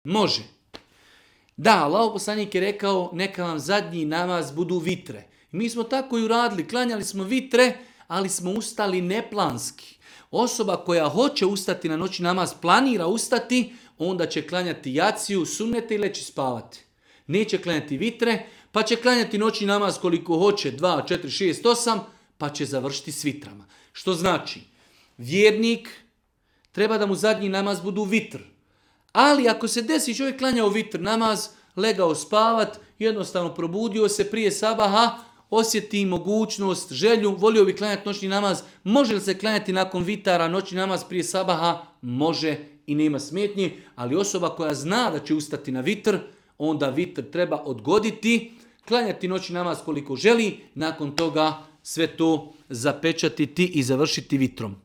Može. Da, Allahov poslanik je rekao neka vam zadnji namaz budu vitre. Mi smo tako i uradili, klanjali smo vitre, ali smo ustali neplanski. Osoba koja hoće ustati na noćni namaz, planira ustati, onda će klanjati jaciju, sunnete i leći spavati. Neće klanjati vitre, pa će klanjati noćni namaz koliko hoće, 2, 4, 6, 8, pa će završiti s vitrama. Što znači, vjernik treba da mu zadnji namaz budu vitr. Ali ako se desi čovjek klanjao vitr namaz, legao spavat, jednostavno probudio se prije sabaha, osjeti mogućnost, želju, volio bi klanjati noćni namaz, može li se klanjati nakon vitara noćni namaz prije sabaha? Može i nema smetnji, ali osoba koja zna da će ustati na vitr, onda vitr treba odgoditi, klanjati noćni namaz koliko želi, nakon toga sve to zapečatiti i završiti vitrom.